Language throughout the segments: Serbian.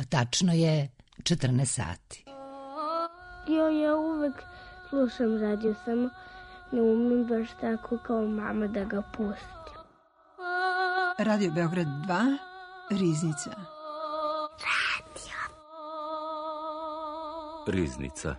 tačno je 14 sati. Ja uvek slušam radio, samo ne umem baš tako kao mama da ga pustim. Radio Beograd 2, Riznica. Riznica.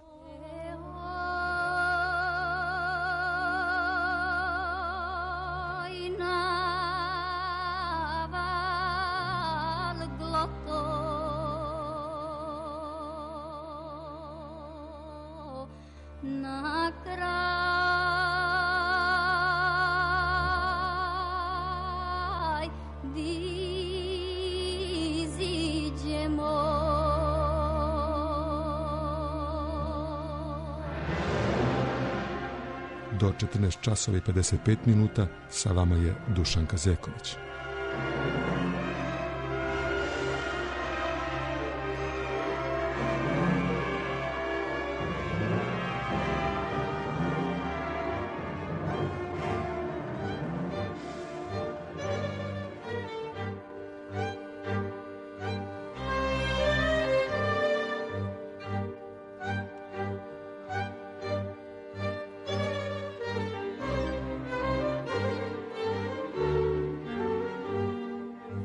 Do 14 časova i 55 minuta sa vama je Dušanka Zeković.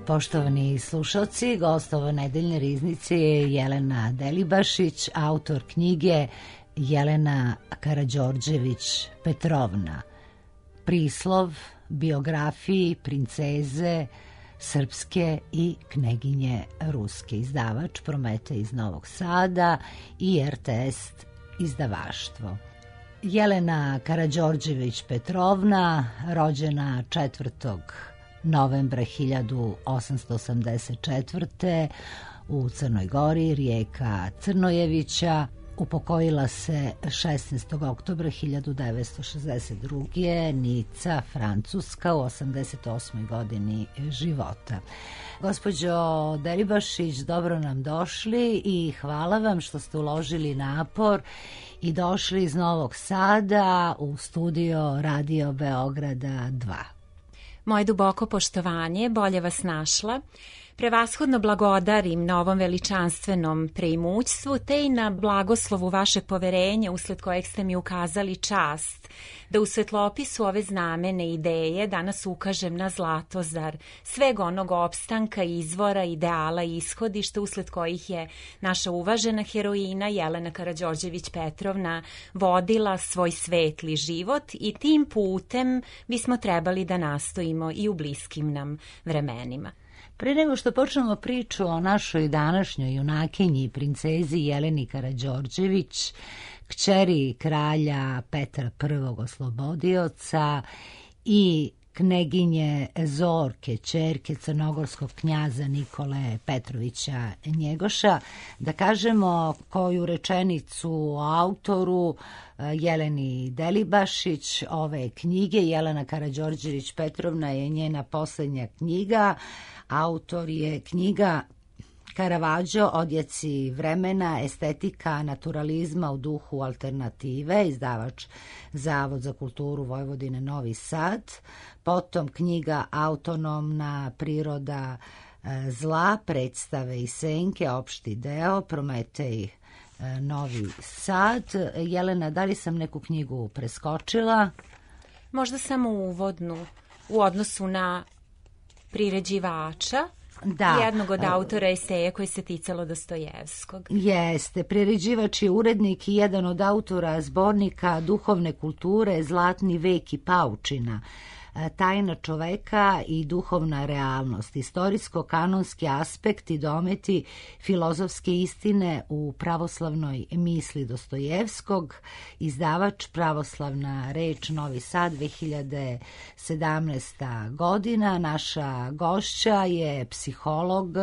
Poštovani slušalci, gostova nedeljne riznice je Jelena Delibašić, autor knjige Jelena Karađorđević Petrovna. Prislov biografiji princeze srpske i kneginje ruske. Izdavač Prometej iz Novog Sada i RTS izdavaštvo. Jelena Karađorđević Petrovna, rođena 4. novembra 1884. u Crnoj Gori, rijeka Crnojevića, upokojila se 16. oktobra 1962. Nica, Francuska, u 88. godini života. Gospođo Delibašić, dobro nam došli i hvala vam što ste uložili napor i došli iz Novog Sada u studio Radio Beograda 2. Moje duboko poštovanje, bolje vas našla. Prevashodno blagodarim na ovom veličanstvenom preimućstvu, te i na blagoslovu vašeg poverenja usled kojeg ste mi ukazali čast da u svetlopisu ove znamene ideje danas ukažem na Zlatozar, sveg onog opstanka, izvora, ideala i ishodišta usled kojih je naša uvažena heroina Jelena Karađorđević Petrovna vodila svoj svetli život i tim putem bismo trebali da nastojimo i u bliskim nam vremenima. Pre nego što počnemo priču o našoj današnjoj junakinji, princezi Jeleni Karađorđević, kćeri kralja Petra I. Oslobodioca i kneginje Zorke, ćerke crnogorskog knjaza Nikole Petrovića Njegoša, da kažemo koju rečenicu o autoru Jeleni Delibašić ove knjige. Jelena Karađorđević Petrovna je njena poslednja knjiga. Autor je knjiga Caravaggio, odjeci vremena, estetika naturalizma u duhu alternative, izdavač Zavod za kulturu Vojvodine Novi Sad, potom knjiga Autonomna priroda zla, predstave i senke, opšti deo, Prometej Novi Sad. Jelena, da li sam neku knjigu preskočila? Možda samo uvodnu u odnosu na priređivača, jednog od autora eseja koji se ticalo Dostojevskog. Jeste, priređivač je urednik i jedan od autora zbornika duhovne kulture Zlatni vek i paučina, tajna čoveka i duhovna realnost, istorijsko-kanonski aspekti, dometi filozofske istine u pravoslavnoj misli Dostojevskog, izdavač Pravoslavna reč Novi Sad, 2017. godina. Naša gošća je psiholog,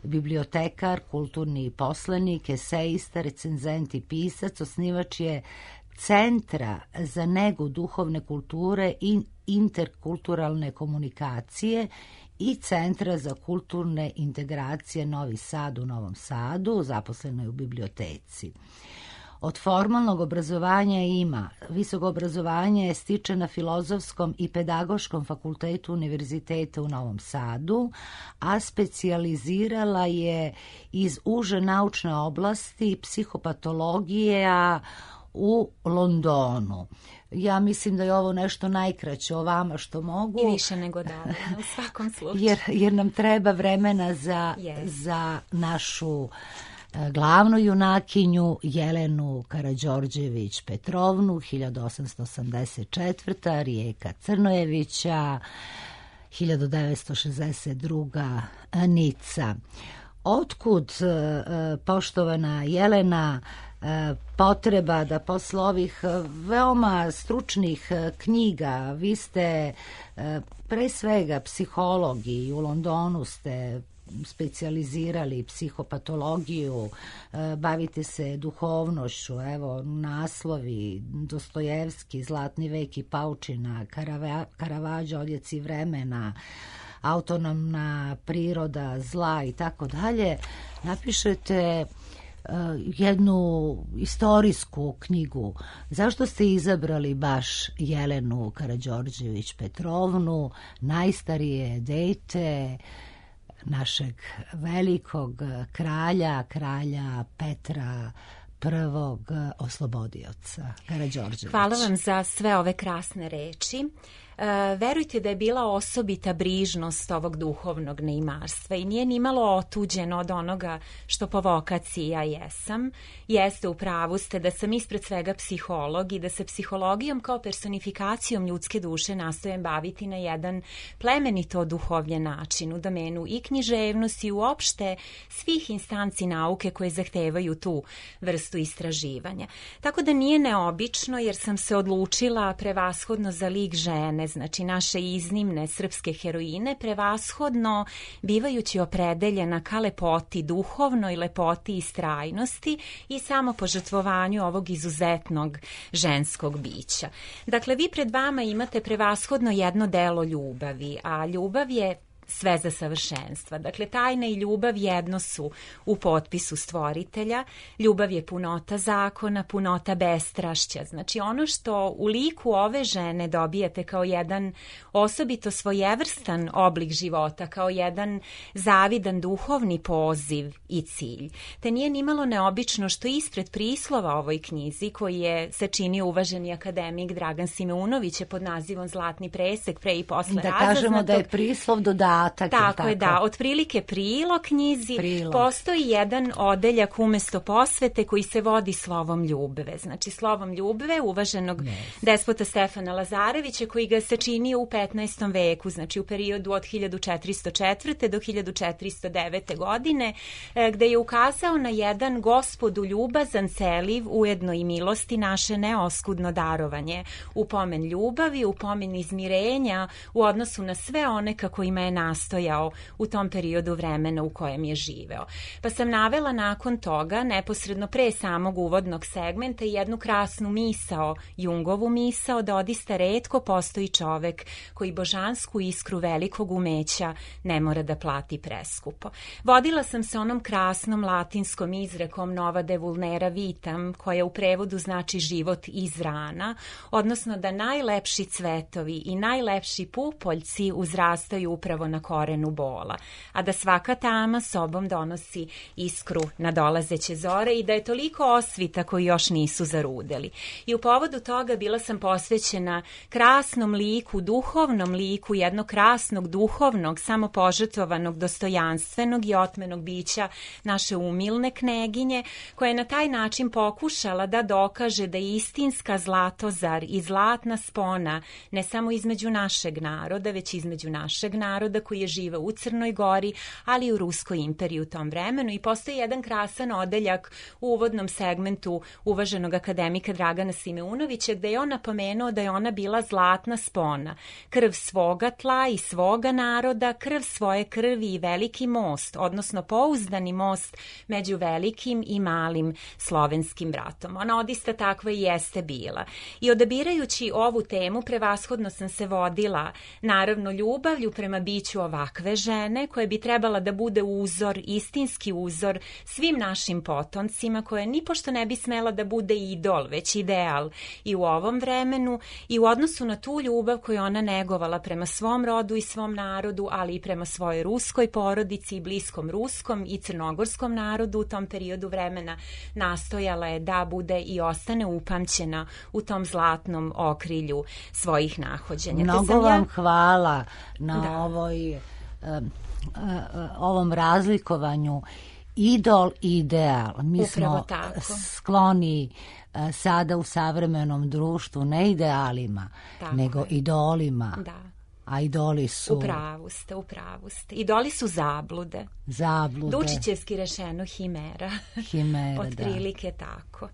bibliotekar, kulturni poslanik, esejista, recenzent i pisac, osnivač je Centra za negu duhovne kulture i interkulturalne komunikacije i Centra za kulturne integracije Novi Sad u Novom Sadu, zaposleno je u biblioteci. Od formalnog obrazovanja ima. Visoko obrazovanje stiče na Filozofskom i Pedagoškom fakultetu Univerziteta u Novom Sadu, a specijalizirala je iz uže naučne oblasti psihopatologija u Londonu. Ja mislim da je ovo nešto najkraće o vama što mogu. I više nego dovoljno, u svakom slučaju. Jer nam treba vremena za našu glavnu junakinju Jelenu Karađorđević Petrovnu, 1884. Rijeka Crnojevića, 1962. Nica. Otkud, poštovana Jelena, potreba da posle ovih veoma stručnih knjiga, vi ste pre svega psiholog i u Londonu ste specijalizirali psihopatologiju, bavite se duhovnošću, evo naslovi Dostojevski, Zlatni vek i paučina, Karavađo, Odjeci vremena, Autonomna priroda zla i tako dalje. Napišete jednu istorijsku knjigu. Zašto ste izabrali baš Jelenu Karađorđević Petrovnu, najstarije dete našeg velikog kralja Petra prvog oslobodioca Karađorđevića? Hvala vam za sve ove krasne reči. Verujte da je bila osobita brižnost ovog duhovnog neimarstva i nije nimalo otuđeno od onoga što po vokaciji ja jesam. Jeste, u pravu ste da sam ispred svega psiholog i da se psihologijom kao personifikacijom ljudske duše nastojim baviti na jedan plemenito oduhovljen način u domenu i književnosti i uopšte svih instanci nauke koje zahtevaju tu vrstu istraživanja. Tako da nije neobično jer sam se odlučila prevashodno za lik žene, znači naše iznimne srpske heroine, prevashodno bivajući opredeljena ka lepoti, duhovnoj lepoti i strajnosti i samo požrtvovanju ovog izuzetnog ženskog bića. Dakle, vi pred vama imate prevashodno jedno delo ljubavi, a ljubav je sve za savršenstva. Dakle, tajna i ljubav jedno su u potpisu stvoritelja. Ljubav je punota zakona, punota bestrašća. Znači, ono što u liku ove žene dobijate kao jedan osobito svojevrstan oblik života, kao jedan zavidan duhovni poziv i cilj. Te nije nimalo neobično što ispred prislova ovoj knjizi, koji je sačinio uvaženi akademik Dragan Simeunović pod nazivom Zlatni presek pre i posle da kažemo da je prislov dodatak. Tako je, da. Otprilike prilog knjizi postoji jedan odeljak umesto posvete koji se vodi slovom ljubve. Znači, slovom ljubve uvaženog despota Stefana Lazarevića koji ga sačinio u 15. veku, znači u periodu od 1404. do 1409. godine, gde je ukazao na jedan Gospodu ljubazan, celiv, ujedno i milosti naše neoskudno darovanje, u pomen ljubavi, u pomen izmirenja u odnosu na sve one kako ima je nastojao u tom periodu vremena u kojem je živeo. Pa sam navela nakon toga, neposredno pre samog uvodnog segmenta, jednu krasnu misao, Jungovu misao, da odista retko postoji čovek koji božansku iskru velikog umeća ne mora da plati preskupo. Vodila sam se onom krasnom latinskom izrekom Nova de vulnera vitam, koja u prevodu znači život iz rana, odnosno da najlepši cvetovi i najlepši pupoljci uzrastaju upravo na korenu bola, a da svaka tama sobom donosi iskru nadolazeće zore i da je toliko osvita koji još nisu zarudeli. I u povodu toga bila sam posvećena krasnom liku, duhovnom liku jednog krasnog, duhovnog, samopožrtvovanog, dostojanstvenog i otmenog bića naše umilne kneginje, koja je na taj način pokušala da dokaže da je istinska zlatozar i zlatna spona ne samo između našeg naroda, već između našeg naroda koji je žive u Crnoj Gori, ali i u Ruskoj imperiji u tom vremenu. I postoji jedan krasan odeljak u uvodnom segmentu uvaženog akademika Dragana Simeunovića, gde je on napomenuo da je ona bila zlatna spona, krv svoga tla i svoga naroda, krv svoje krvi i veliki most, odnosno pouzdani most među velikim i malim slovenskim bratom. Ona odista takva i jeste bila. I odabirajući ovu temu, prevashodno sam se vodila naravno ljubavlju prema biću kuću ovakve žene koja bi trebala da bude uzor, istinski uzor svim našim potomcima, koja nipošto ne bi smela da bude idol, već ideal i u ovom vremenu i u odnosu na tu ljubav koju ona negovala prema svom rodu i svom narodu, ali i prema svojoj ruskoj porodici i bliskom ruskom i crnogorskom narodu u tom periodu vremena, nastojala je da bude i ostane upamćena u tom zlatnom okrilju svojih nahođenja. Mnogo vam hvala na ovom razlikovanju idol i ideal. Mi smo skloni sada u savremenom društvu ne idealima, nego idolima. Da. A idoli su... Upravu ste. Idoli su zablude. Dučićevski rešeno himera. Otprilike tako.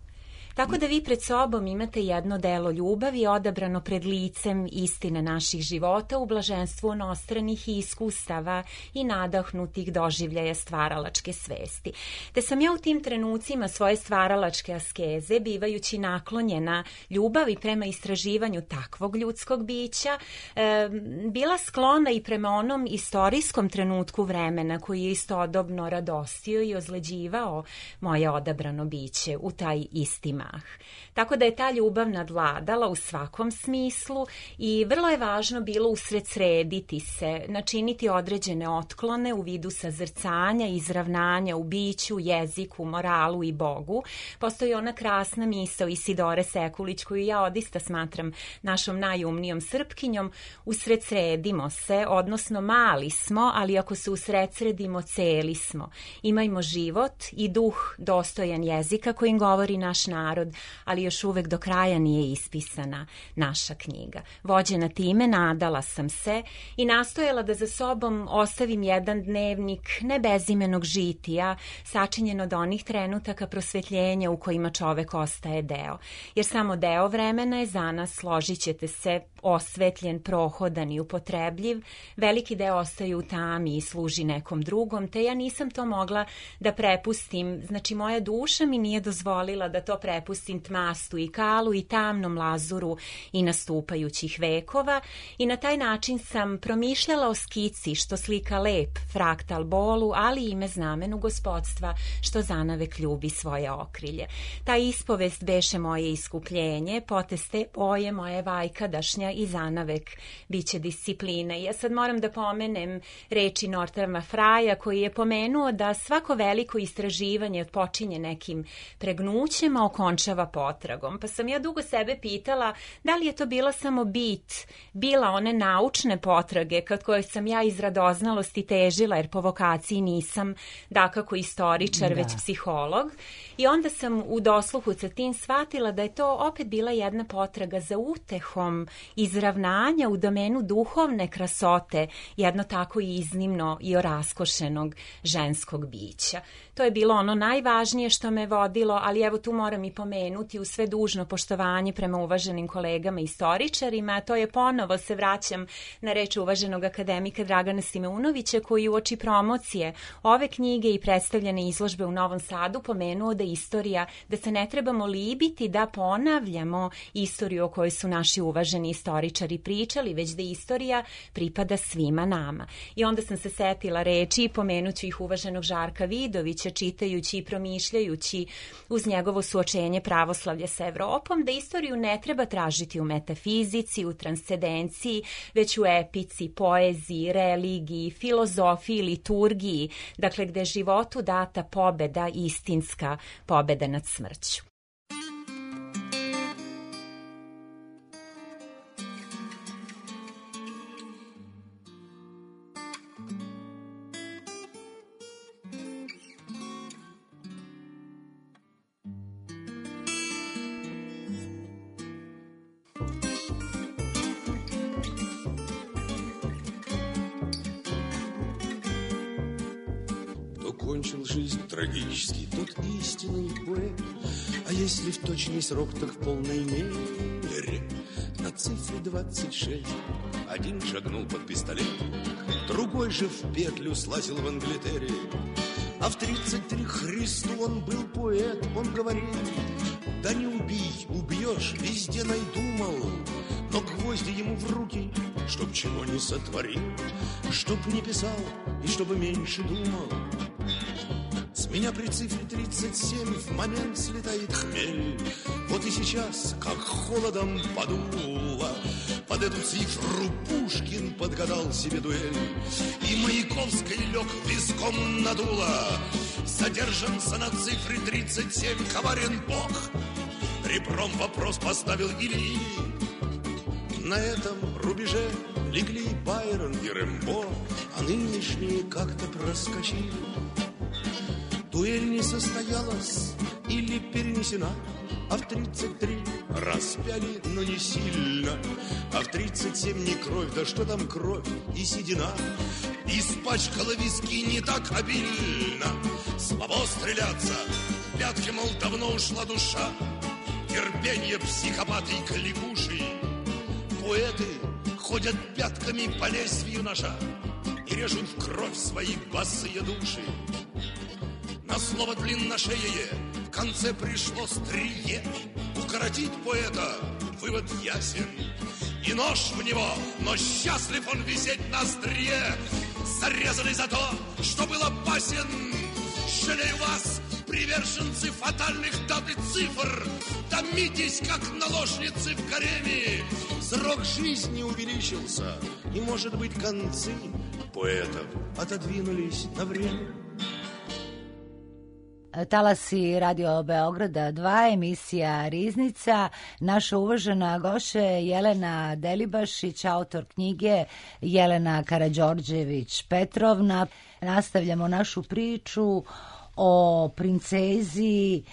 Tako da vi pred sobom imate jedno delo ljubavi odabrano pred licem istine naših života u blaženstvu onostranih iskustava i nadahnutih doživljaja stvaralačke svesti. Te sam ja u tim trenucima svoje stvaralačke askeze, bivajući naklonjena ljubavi prema istraživanju takvog ljudskog bića, bila sklona i prema onom istorijskom trenutku vremena koji je istodobno radostio i ozleđivao moje odabrano biće u taj isti mah. Tako da je ta ljubav nadvladala u svakom smislu i vrlo je važno bilo usredsrediti se, načiniti određene otklone u vidu sazrcanja, izravnanja u biću, jeziku, moralu i Bogu. Postoji ona krasna misao Isidore Sekulić koju ja odista smatram našom najumnijom Srpkinjom: usredsredimo se, odnosno mali smo, ali ako se usredsredimo, celi smo. Imajmo život i duh dostojan jezika kojim govori naš narod, ali još uvek do kraja nije ispisana naša knjiga. Vođena time, nadala sam se i nastojala da za sobom ostavim jedan dnevnik ne bezimenog žitija, sačinjen od onih trenutaka prosvetljenja u kojima čovek ostaje deo. Jer samo deo vremena je za nas, složit ćete se, osvetljen, prohodan i upotrebljiv. Veliki deo ostaje u tami i služi nekom drugom, te ja nisam to mogla da prepustim. Znači, moja duša mi nije dozvolila da to prepustim tmastu i kalu i tamnom lazuru i nastupajućih vekova, i na taj način sam promišljala o skici što slika lep fraktal bolu, ali i ime znamenu gospodstva što zanavek ljubi svoje okrilje. Ta ispovest beše moje iskupljenje, poteste oje moje vajkadašnja i zanavek biće discipline. Ja sad moram da pomenem reči Northrama Fraja koji je pomenuo da svako veliko istraživanje počinje nekim pregnućem, a okončava potragom. Pa sam ja dugo sebe pitala da li je to bila samo bila one naučne potrage kad koje sam ja iz radoznalosti težila, jer po vokaciji nisam dakako istoričar, već psiholog. I onda sam u dosluhu sa tim shvatila da je to opet bila jedna potraga za utehom izravnanja u domenu duhovne krasote, jedno tako iznimno i oraskošenog ženskog bića. To je bilo ono najvažnije što me vodilo, ali evo tu moram i pomenuti u sve dužno poštovanje prema uvaženim kolegama istoričarima, a to je, ponovo se vraćam na reč uvaženog akademika Dragana Simeunovića, koji uoči promocije ove knjige i predstavljene izložbe u Novom Sadu pomenuo da istorija, da se ne trebamo libiti da ponavljamo istoriju o kojoj su naši uvaženi istoričari pričali, već da istorija pripada svima nama. I onda sam se setila reči i pomenuću ih uvaženog Žarka Vidovića, čitajući i promišljajući uz njegovo suočenje pravoslavlja sa Evropom, da istoriju ne treba tražiti u metafizici, u transcendenciji, već u epici, poeziji, religiji, filozofiji, liturgiji, dakle gde je životu data pobeda, istinska pobeda nad smrću. Кончил жизнь трагически тот истинный поэт. А если в точный срок, так в полной мере. На цифре 26 один шагнул под пистолет, другой же в петлю слазил в Англитере. А в 33 Христу он был поэт. Он говорил: да не убей, убьешь, везде найду, мол. Но гвозди ему в руки чтоб чего не сотворил, чтоб не писал и чтобы меньше думал. С меня при цифре 37 в момент слетает хмель. Вот и сейчас, как холодом подуло, под эту цифру Пушкин подгадал себе дуэль. И Маяковский лег виском надуло. Задержанца на цифре 37 коварен Бог. Ребром вопрос поставил или. На этом рубеже легли Байрон и Рэмбо, а нынешние как-то проскочили. Дуэль не состоялась или перенесена, а в 33 распяли, но не сильно. А в 37 не кровь, да что там кровь и седина. Испачкала виски не так обильно. Слабо стреляться, пятки, мол, давно ушла душа. Терпенье психопаты и кликуши. Поэты ходят пятками по лезвию ножа и режут в кровь свои босые души. На слово длинношеее в конце пришло стрие. Укоротить поэта вывод ясен. И нож в него, но счастлив он висеть на острие, зарезанный за то, что был опасен. Жалею вас, приверженцы фатальных дат и цифр. Томитесь, как наложницы в гареме. Срок жизни увеличился, и, может быть, концы поэтов отодвинулись на время. Talasi Radio Beograda 2, emisija Riznica. Naša uvažena gošća je Jelena Delibašić, autor knjige Jelena Karađorđević-Petrovna. Nastavljamo našu priču o princezi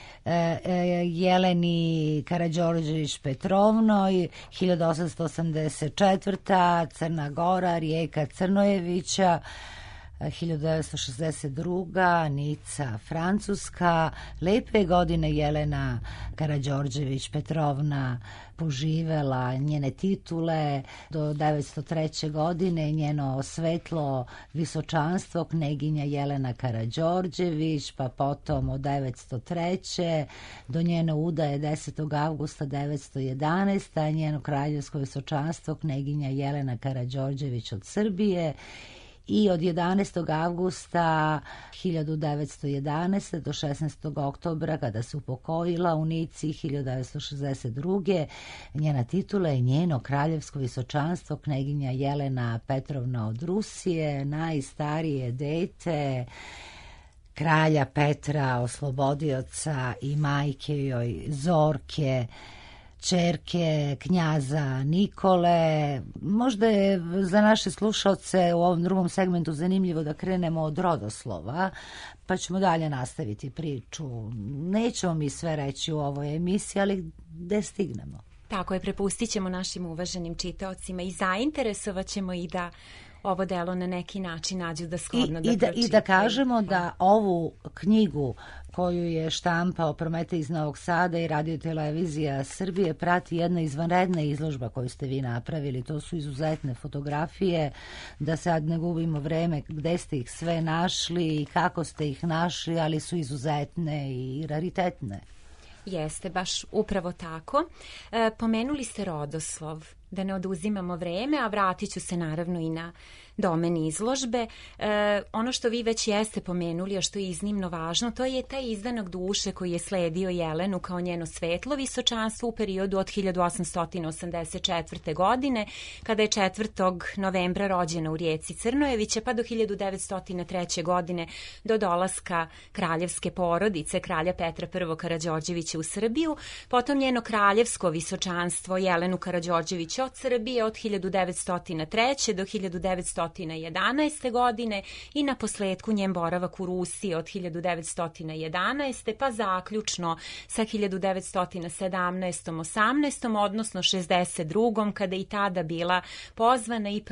Jeleni Karađorđević-Petrovnoj, 1884. Crna Gora, rijeka Crnojevića, 1962. Nica, Francuska. Lepe godine Jelena Karađorđević-Petrovna poživela, njene titule do 903. godine, njeno svetlo visočanstvo kneginja Jelena Karađorđević, pa potom od 903. do njene udaje 10. avgusta 911. njeno kraljevsko visočanstvo kneginja Jelena Karađorđević od Srbije. I od 11. avgusta 1911. do 16. oktobra, kada se upokojila u Nici 1962. njena titula je njeno kraljevsko visočanstvo kneginja Jelena Petrovna od Rusije, najstarije dete kralja Petra Oslobodioca i majke joj Zorke, ćerke knjaza Nikole. Možda je za naše slušalce u ovom drugom segmentu zanimljivo da krenemo od rodoslova, pa ćemo dalje nastaviti priču. Nećemo mi sve reći u ovoj emisiji, ali gde stignemo. Tako je, prepustit ćemo našim uvaženim čitaocima i zainteresovat ćemo i da ovo delo na neki način nađu da shodno da pročitaju. I da kažemo da ovu knjigu koju je štampao Prometej iz Novog Sada i Radio Televizija Srbije prati jedna izvanredna izložba koju ste vi napravili. To su izuzetne fotografije, da sad ne gubimo vreme gde ste ih sve našli i kako ste ih našli, ali su izuzetne i raritetne. Jeste, baš upravo tako. Pomenuli ste rodoslov, da ne oduzimamo vreme, a vratit ću se naravno i na domen izložbe. Ono što vi već jeste pomenuli, a što je iznimno važno, to je taj izdanak duše koji je sledio Jelenu kao njeno svetlo visočanstvo u periodu od 1884. godine, kada je 4. novembra rođena u rijeci Crnojevića, pa do 1903. godine do dolaska kraljevske porodice, kralja Petra I. Karađorđevića u Srbiju, potom njeno kraljevsko visočanstvo Jelenu Karađorđević od Srbije od 1903. do 1911. godine i na posledku njen boravak u Rusiji od 1911. pa zaključno sa 1917. 18. odnosno 62. kada i tada bila pozvana i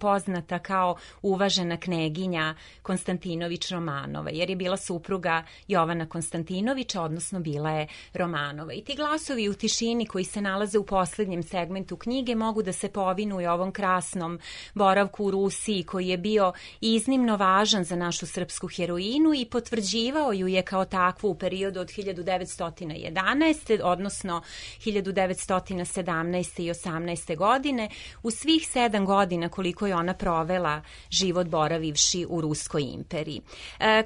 poznata kao uvažena kneginja Konstantinović-Romanova, jer je bila supruga Jovana Konstantinovića, odnosno bila je Romanova. I ti glasovi u tišini koji se nalaze u poslednjem segmentu knjige mogu da se povinuju ovom krasnom boravku u Rusiji koji je bio iznimno važan za našu srpsku heroinu i potvrđivao ju je kao takvu u periodu od 1911. odnosno 1917. i 18. godine u svih 7 godina koliko je ona provela život boravivši u Ruskoj imperiji.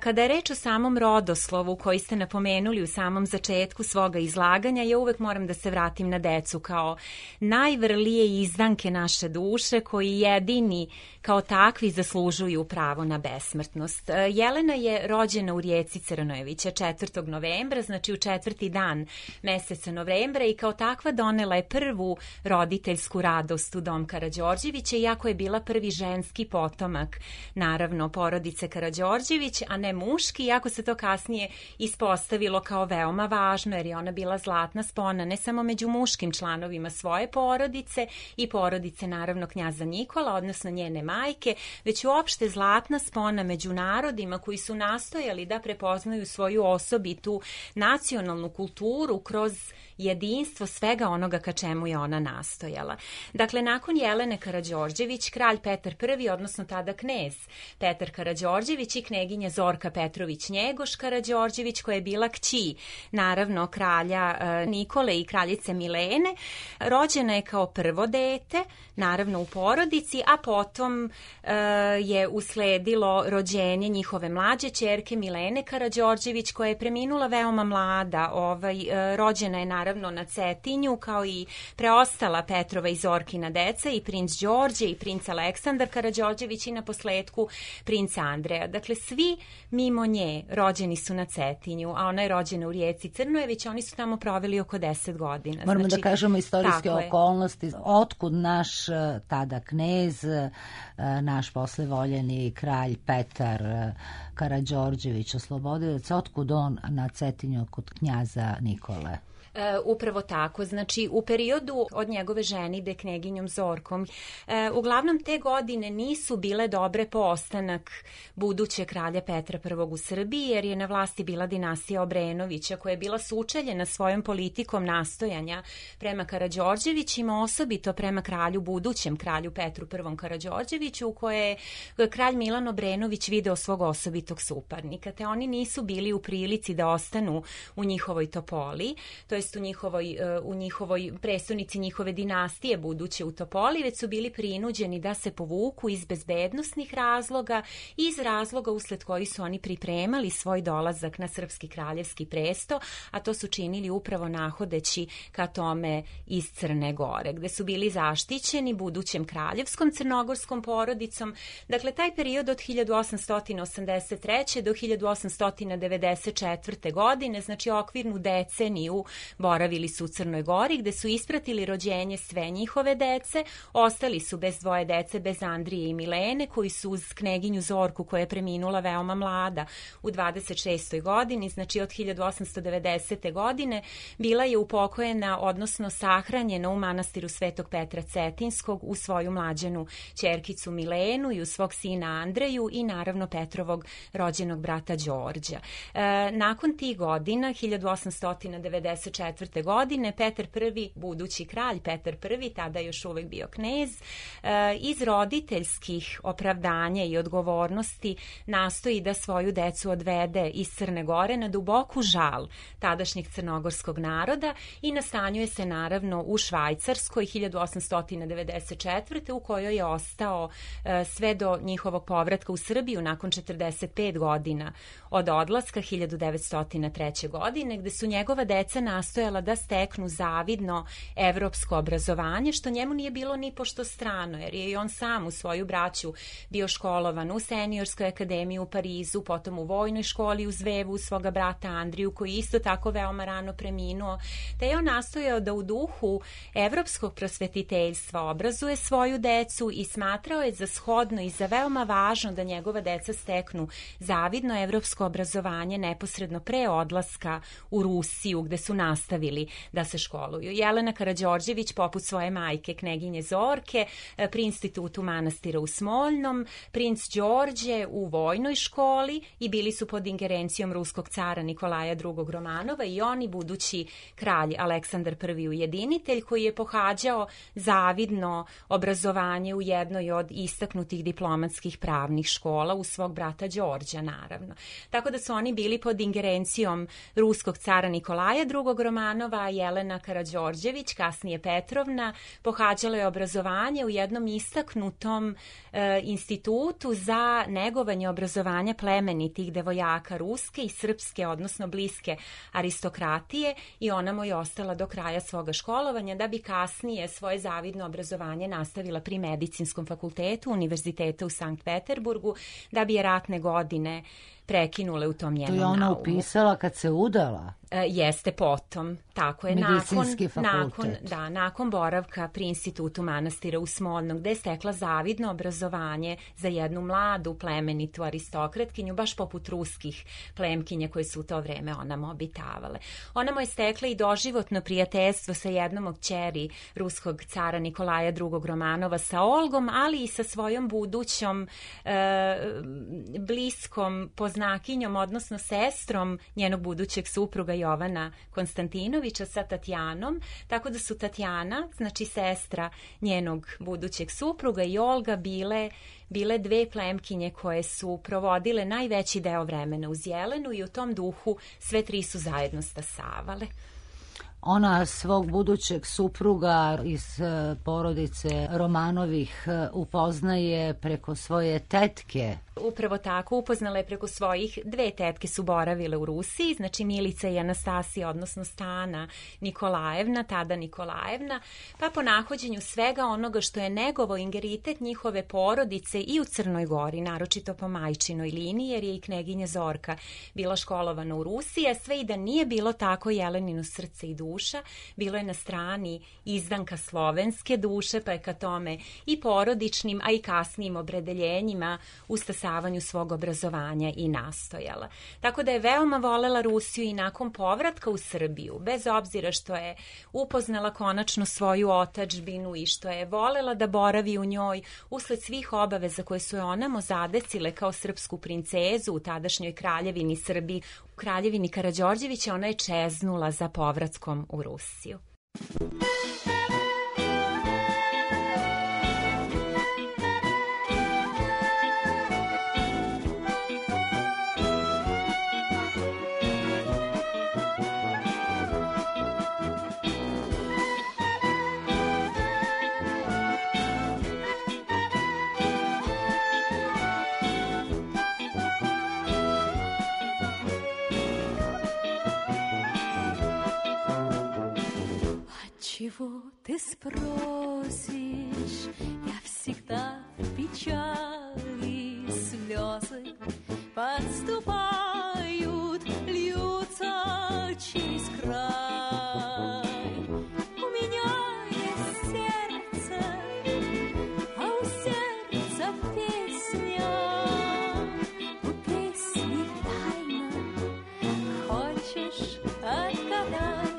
Kada je reč o samom rodoslovu koji ste napomenuli u samom začetku svoga izlaganja, ja uvek moram da se vratim na decu kao najvrlije izdanke naše duše koji jedini kao takvi zaslužuju pravo na besmrtnost. Jelena je rođena u Rijeci Crnojevića 4. novembra, znači u 4. dan meseca novembra i kao takva donela je prvu roditeljsku radost u dom Karađorđevića, iako je bila prvi ženski potomak, naravno, porodice Karađorđević, a ne muški, iako se to kasnije ispostavilo kao veoma važno, jer je ona bila zlatna spona ne samo među muškim članovima svoje porodice i porodice, naravno, knjaza Nikola, odnosno njene majke, već uopšte zlatna spona među narodima koji su nastojali da prepoznaju svoju osobitu nacionalnu kulturu kroz jedinstvo svega onoga ka čemu je ona nastojala. Dakle, nakon Jelene Karađorđević, kralj Petar I, odnosno tada knez Petar Karađorđević i kneginja Zorka Petrović Njegoš Karađorđević, koja je bila kći, naravno, kralja Nikole i kraljice Milene, rođena je kao prvo dete, naravno u porodici, a potom je usledilo rođenje njihove mlađe ćerke Milene Karađorđević, koja je preminula veoma mlada, rođena je naravno na Cetinju, kao i preostala Petrova i Zorkina deca, i princ Đorđe i princ Aleksandar Karađorđević i na posledku princ Andreja. Dakle, svi mimo nje rođeni su na Cetinju, a ona je rođena u Rijeci Crnojević, oni su tamo proveli oko 10 godina. Moramo da kažemo istorijske okolnosti. Otkud naš tada knez, naš poslevoljeni kralj Petar Karađorđević oslobodilac, otkud on na Cetinju kod knjaza Nikole? Upravo tako, znači u periodu od njegove ženidbe kneginjom Zorkom, uglavnom te godine nisu bile dobre po ostanak budućeg kralja Petra I u Srbiji, jer je na vlasti bila dinastija Obrenovića, koja je bila sučeljena svojom politikom nastojanja prema Karađorđevićima, osobito prema budućem kralju Petru I Karađorđeviću, u koje je kralj Milan Obrenović video svog osobitog suparnika, te oni nisu bili u prilici da ostanu u njihovoj Topoli, to jest u njihovoj prestonici njihove dinastije buduće u Topoli, već su bili prinuđeni da se povuku iz bezbednosnih razloga i iz razloga usled koji su oni pripremali svoj dolazak na srpski kraljevski presto, a to su činili upravo nahodeći ka tome iz Crne Gore, gde su bili zaštićeni budućem kraljevskom crnogorskom porodicom. Dakle, taj period od 1883. do 1894. godine, znači okvirnu deceniju, boravili su u Crnoj Gori, gde su ispratili rođenje sve njihove dece, ostali su bez dvoje dece, bez Andrije i Milene, koji su uz kneginju Zorku, koja je preminula veoma mlada u 26. godini, znači od 1890. godine, bila je upokojena, odnosno sahranjena u manastiru Svetog Petra Cetinskog u svoju mlađanu ćerkicu Milenu i u svog sina Andreju i naravno Petrovog rođenog brata Đorđa. Nakon tih godina, 1894. godine, Petar I, budući kralj Petar I, tada još uvek bio knez, iz roditeljskih opravdanja i odgovornosti nastoji da svoju decu odvede iz Crne Gore na duboku žal tadašnjeg crnogorskog naroda i nastanjuje se naravno u Švajcarskoj 1894. u kojoj je ostao sve do njihovog povratka u Srbiju nakon 45 godina od odlaska 1903. godine, gde su njegova deca nastojala da steknu zavidno evropsko obrazovanje, što njemu nije bilo ni pošto strano, jer je i on sam u svoju braću bio školovan u Seniorskoj akademiji u Parizu, potom u vojnoj školi u Zvevu svoga brata Andriju, koji isto tako veoma rano preminuo, te je on nastojao da u duhu evropskog prosvetiteljstva obrazuje svoju decu i smatrao je za shodno i za veoma važno da njegova deca steknu zavidno evropsko obrazovanje neposredno pre odlaska u Rusiju, gde su nastavili da se školuju. Jelena Karađorđević, poput svoje majke, kneginje Zorke, pri institutu manastira u Smoljnom, princ Đorđe u vojnoj školi i bili su pod ingerencijom ruskog cara Nikolaja II. Romanova i oni budući kralj Aleksandar I. Ujedinitelj, koji je pohađao zavidno obrazovanje u jednoj od istaknutih diplomatskih pravnih škola uz svog brata Đorđa, naravno. Tako da su oni bili pod ingerencijom ruskog cara Nikolaja II. Romanova, a Jelena Karađorđević, kasnije Petrovna, pohađala je obrazovanje u jednom istaknutom institutu za negovanje obrazovanja plemenitih devojaka ruske i srpske, odnosno bliske aristokratije, i ona mu je ostala do kraja svoga školovanja, da bi kasnije svoje zavidno obrazovanje nastavila pri Medicinskom fakultetu Univerziteta u Sankt Peterburgu, da bi je ratne godine prekinule u tom njenom naumu. To je ona upisala kad se udala? Jeste potom, tako je, Medicinski fakultet. nakon boravka pri institutu manastira u Smoljnom, gde je stekla zavidno obrazovanje za jednu mladu plemenitu aristokratkinju, baš poput ruskih plemkinja koje su u to vreme onamo obitavale. Ona mu je stekla i doživotno prijateljstvo sa jednom od kćeri ruskog cara Nikolaja II. Romanova, sa Olgom, ali i sa svojom budućom bliskom poznakinjom, odnosno sestrom njenog budućeg supruga Jovana Konstantinovića, sa Tatjanom, tako da su Tatjana, znači sestra njenog budućeg supruga, i Olga bile dve plemkinje koje su provodile najveći deo vremena uz Jelenu i u tom duhu sve tri su zajedno stasavale. Ona svog budućeg supruga iz porodice Romanovih upoznaje preko svoje tetke. Upravo tako, upoznala je preko svojih dve tetke, su boravile u Rusiji, znači Milica i Anastasija, odnosno Stana Nikolajevna, tada Nikolajevna, pa po nahođenju svega onoga što je negovao ingeritet njihove porodice i u Crnoj Gori, naročito po majčinoj liniji, jer je i kneginja Zorka bila školovana u Rusiji, a sve i da nije bilo tako Jelenino srce i duša, bilo je na strani izdanka slovenske duše, pa je ka tome i porodičnim, a i kasnijim opredeljenjima u stasavanju svog obrazovanja i nastojala. Tako da je veoma volela Rusiju i nakon povratka u Srbiju, bez obzira što je upoznala konačno svoju otadžbinu i što je volela da boravi u njoj, usled svih obaveza koje su je onamo zadesile kao srpsku princezu u tadašnjoj kraljevini Srbiji, u kraljevini Karađorđevića, ona je čeznula za povratkom u Rusiju. Чего ты спросишь? Я всегда в печали, слезы подступают, льются через край. У меня есть сердце, а у сердца песня. У песни тайна, хочешь отгадай.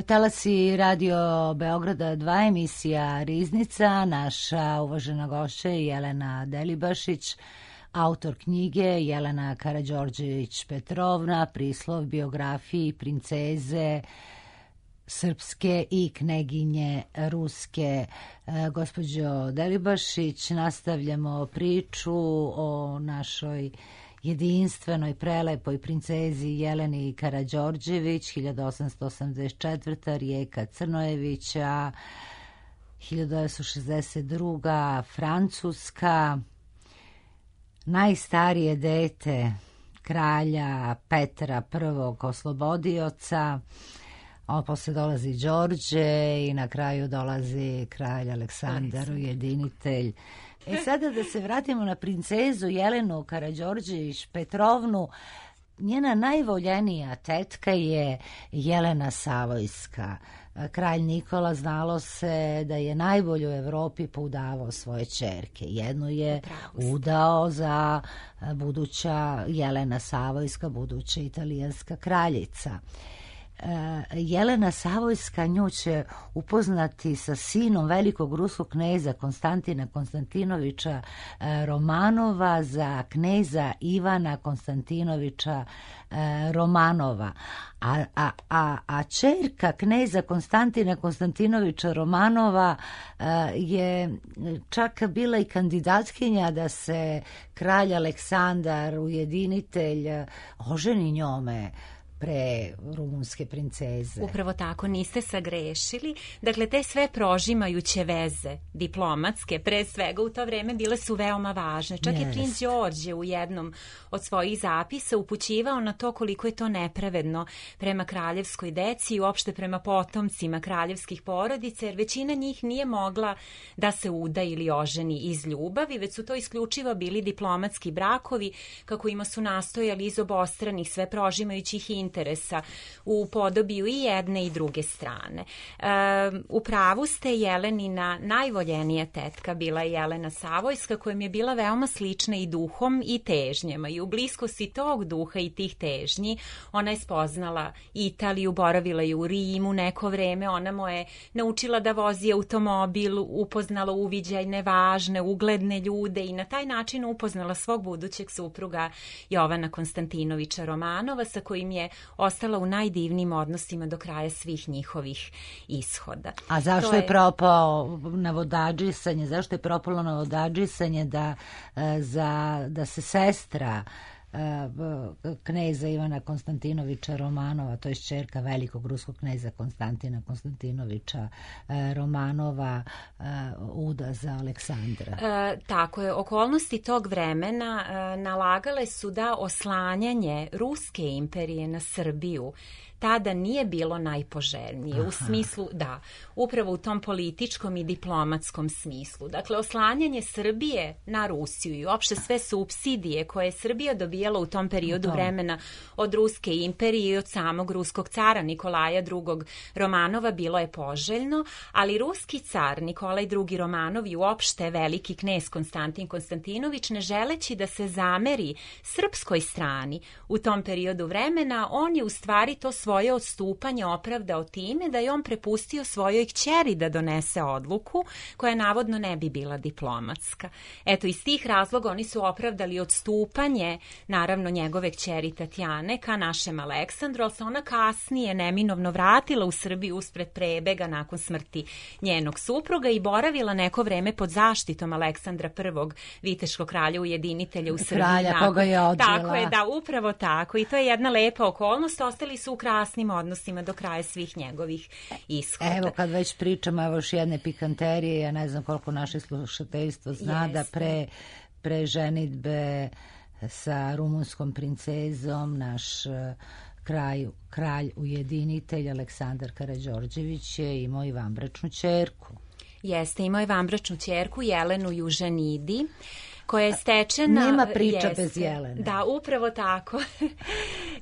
Talasi Radio Beograda 2, emisija Riznica. Naša uvažena gošća je Jelena Delibašić, autor knjige Jelena Karađorđević-Petrovna, prislov biografiji princeze srpske i kneginje ruske. Gospođo Delibašić, nastavljamo priču o našoj jedinstvenoj, prelepoj princezi Jeleni Karađorđević, 1884. Rijeka Crnojevića, 1962. Francuska, najstarije dete kralja Petra I. Oslobodioca, a posle dolazi Đorđe i na kraju dolazi kralj Aleksandar Ujedinitelj. Sada da se vratimo na princezu Jelenu Karađorđević-Petrovnu. Njena najvoljenija tetka je Jelena Savojska. Kralj Nikola, znalo se da je najbolje u Evropi poudavao svoje ćerke. Jednu je udao za buduća Jelena Savojska, buduća italijanska kraljica. Jelena Savojska nju će upoznati sa sinom velikog ruskog kneza Konstantina Konstantinovića Romanova za kneza Ivana Konstantinovića Romanova. A ćerka kneza Konstantina Konstantinovića Romanova je čak bila i kandidatkinja da se kralj Aleksandar Ujedinitelj oženi njome pre rumunske princeze. Upravo tako, niste sagrešili. Dakle, te sve prožimajuće veze diplomatske, pre svega u to vreme, bile su veoma važne. Čak je princ Đorđe u jednom od svojih zapisa upućivao na to koliko je to nepravedno prema kraljevskoj deci i uopšte prema potomcima kraljevskih porodica, jer većina njih nije mogla da se uda ili oženi iz ljubavi, već su to isključivo bili diplomatski brakovi, kako ima su nastojali iz obostranih sve prožimajućih interesa u podobiju i jedne i druge strane. U pravu ste, Jelenina najvoljenija tetka bila je Jelena Savojska, kojom je bila veoma slična i duhom i težnjama, i u bliskosti tog duha i tih težnji ona je spoznala Italiju, boravila je u Rimu neko vreme, ona mu je naučila da vozi automobil, upoznala uviđajne, važne, ugledne ljude i na taj način upoznala svog budućeg supruga Jovana Konstantinovića Romanova, sa kojim je ostala u najdivnijim odnosima do kraja svih njihovih ishoda. A zašto je propao navodadžisanje? Zašto je propalo navodadžisanje da se sestra kneza Ivana Konstantinovića Romanova, to je ćerka velikog ruskog kneza Konstantina Konstantinovića Romanova, uda za Aleksandra? Tako je. Okolnosti tog vremena nalagale su da oslanjanje Ruske imperije na Srbiju tada nije bilo najpoželjnije. U smislu, da, upravo u tom političkom i diplomatskom smislu. Dakle, oslanjanje Srbije na Rusiju i uopšte sve supsidije koje je Srbija dobijala u tom periodu vremena od Ruske imperije i od samog ruskog cara Nikolaja II. Romanova bilo je poželjno, ali ruski car Nikolaj II. Romanov i uopšte veliki knez Konstantin Konstantinović, ne želeći da se zameri srpskoj strani u tom periodu vremena, on je u stvari to svoje odstupanje opravdao time da je on prepustio svojoj kćeri da donese odluku koja navodno ne bi bila diplomatska. Eto, iz tih razloga oni su opravdali odstupanje, naravno, njegove kćeri Tatjane ka našem Aleksandru, ali se ona kasnije neminovno vratila u Srbiju uspred prebega nakon smrti njenog supruga i boravila neko vreme pod zaštitom Aleksandra I, viteškog kralja ujedinitelja u Srbiji. Kralja koga je odvela. Tako je, da, upravo tako. I to je jedna lepa okolnost. Ostali su u krasnim odnosima do kraja svih njegovih ishoda. Evo, kad već pričamo, evo još jedne pikanterije, ja ne znam koliko naše slušateljstvo zna da pre ženidbe sa rumunskom princezom naš kralj ujedinitelj Aleksandar Karađorđević je imao i vanbračnu ćerku. Jeste, imao je vanbračnu ćerku Jelenu Juženidi, koja je stečena... Nema priča bez Jelene. Da, upravo tako.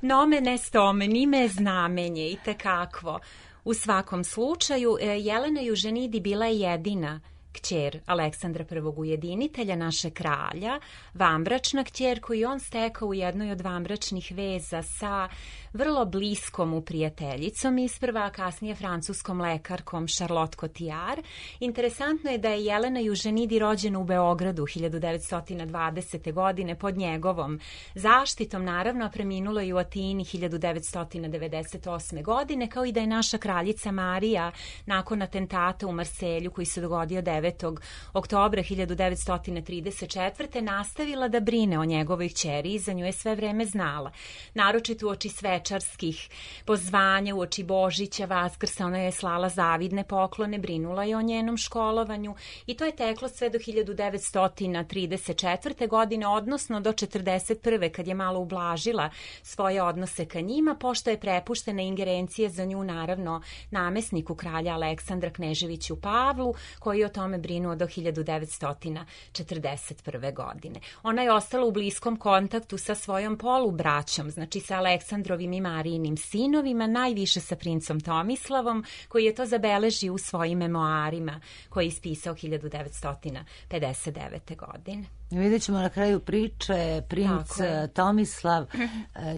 Nomen est omen, ime je znamenje i tekakvo. U svakom slučaju, Jelena Juženidi bila je jedina kćer Aleksandra I. Ujedinitelja, naše kralja, vanbračna kćer koju on stekao u jednoj od vanbračnih veza sa vrlo bliskom mu prijateljicom isprva, a kasnije francuskom lekarkom Charlotte Cotillard. Interesantno je da je Jelena Juženidi rođena u Beogradu 1920. godine pod njegovom zaštitom, naravno, a preminula je u Atini 1998. godine, kao i da je naša kraljica Marija nakon atentata u Marselju koji se dogodio 9. oktobra 1934. nastavila da brine o njegovoj kćeri i za nju je sve vreme znala. Naročito uoči svečarskih pozvanja, uoči Božića, Vaskrsa, ona je slala zavidne poklone, brinula je o njenom školovanju i to je teklo sve do 1934. godine, odnosno do 1941. kad je malo ublažila svoje odnose ka njima, pošto je prepuštena ingerencije za nju, naravno, namesniku kralja Aleksandra Kneževiću Pavlu, koji je o tome brinuo do 1941. godine. Ona je ostala u bliskom kontaktu sa svojom polubraćom, znači sa Aleksandrovim i Marijinim sinovima, najviše sa princom Tomislavom, koji je to zabeležio u svojim memoarima koje je ispisao 1959. godine. Vidjet ćemo na kraju priče, princ Tomislav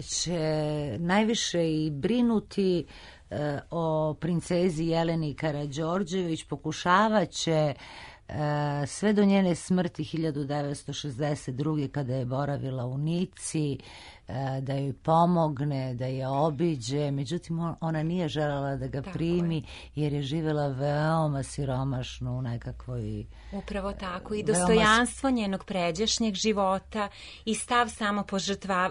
će najviše i brinuti o princezi Jeleni Karađorđević, pokušavat će sve do njene smrti 1962. kada je boravila u Nici, da joj pomogne, da je obiđe, međutim ona nije željela da ga primi jer je živjela veoma siromašno u nekakvoj... Upravo tako, i dostojanstvo njenog pređašnjeg života i stav samo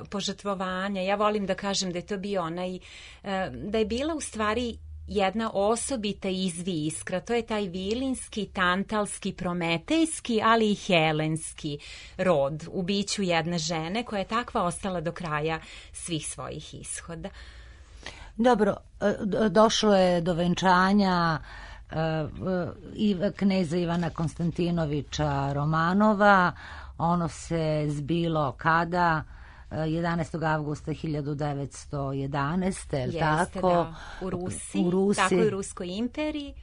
požrtvovanja. Ja volim da kažem da je to bio onaj, da je bila u stvari jedna osobita izviskra, to je taj vilinski, tantalski, prometejski, ali i helenski rod u biću jedne žene koja je takva ostala do kraja svih svojih ishoda. Dobro, došlo je do venčanja kneza Ivana Konstantinovića Romanova. Ono se zbilo kada? 11. avgusta 1911. Jeste, tako? Da, u Rusiji, tako i u Ruskoj imperiji.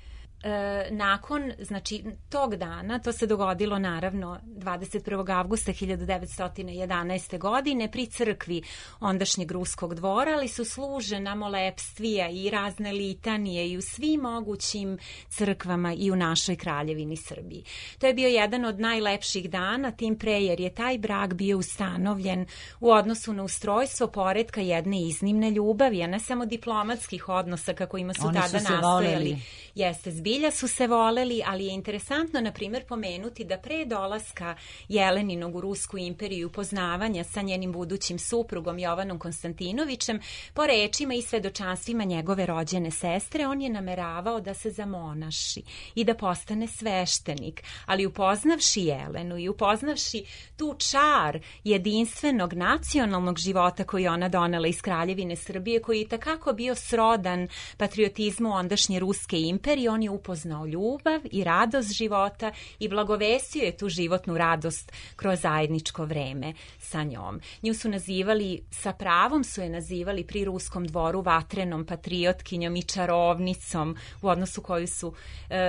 Nakon, znači, tog dana, to se dogodilo naravno 21. avgusta 1911. godine pri crkvi ondašnjeg ruskog dvora, ali su služena molepstvija i razne litanije i u svim mogućim crkvama i u našoj kraljevini Srbiji. To je bio jedan od najlepših dana, tim pre jer je taj brak bio ustanovljen u odnosu na ustrojstvo poretka jedne iznimne ljubavi, a ne samo diplomatskih odnosa kako ima su tada nastojali. Jeste, zbilja su se voleli, ali je interesantno, na primjer, pomenuti da pre dolaska Jeleninog u Rusku imperiju, upoznavanja sa njenim budućim suprugom Jovanom Konstantinovićem, po rečima i svedočanstvima njegove rođene sestre, on je nameravao da se zamonaši i da postane sveštenik, ali upoznavši Jelenu i upoznavši tu čar jedinstvenog nacionalnog života koji ona donela iz Kraljevine Srbije, koji je takako bio srodan patriotizmu ondašnje Ruske imperije, on je upoznao ljubav i radost života i blagovestio je tu životnu radost kroz zajedničko vreme sa njom. Nju su nazivali, sa pravom su je nazivali pri ruskom dvoru vatrenom patriotkinjom i čarovnicom, u odnosu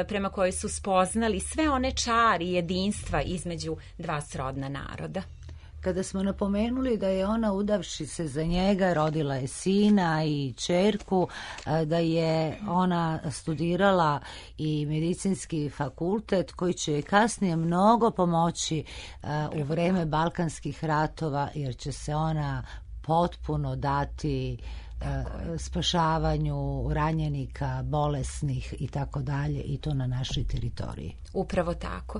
prema kojoj su spoznali sve one čari jedinstva između dva srodna naroda. Kada smo napomenuli da je ona, udavši se za njega, rodila je sina i ćerku, da je ona studirala i medicinski fakultet koji će kasnije mnogo pomoći u vreme Balkanskih ratova, jer će se ona potpuno dati spašavanju ranjenika, bolesnih i tako dalje, i to na našoj teritoriji. Upravo tako.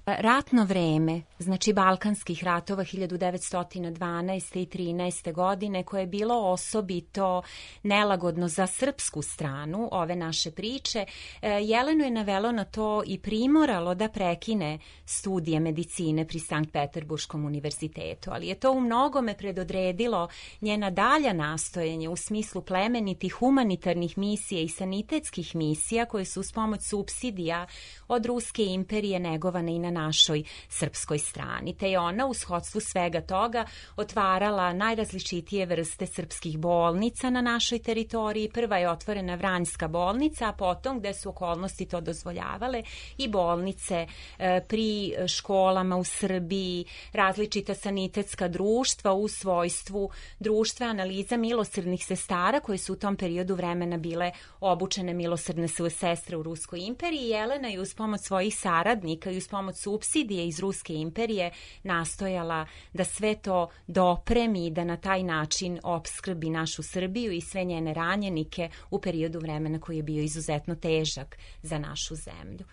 Ratno vreme, znači Balkanskih ratova 1912. i 13. godine, koje je bilo osobito nelagodno za srpsku stranu ove naše priče, Jelenu je navelo na to i primoralo da prekine studije medicine pri Sankt Peterburškom univerzitetu, ali je to u mnogome predodredilo njena dalja nastojanja u smislu plemenitih humanitarnih misija i sanitetskih misija koje su uz pomoć supsidija od Ruske imperije negovane i na našoj srpskoj strani. Te je ona u shodstvu svega toga otvarala najrazličitije vrste srpskih bolnica na našoj teritoriji. Prva je otvorena Vranjska bolnica, a potom, gde su okolnosti to dozvoljavale, i bolnice pri školama u Srbiji, različita sanitetska društva u svojstvu društva analiza milosrdnih sestara koje su u tom periodu vremena bile obučene milosrdne sestre u Ruskoj imperiji. Jelena je uz pomoć svojih saradnika i uz pomoć supsidije iz Ruske imperije nastojala da sve to dopremi i da na taj način opskrbi našu Srbiju i sve njene ranjenike u periodu vremena koji je bio izuzetno težak za našu zemlju.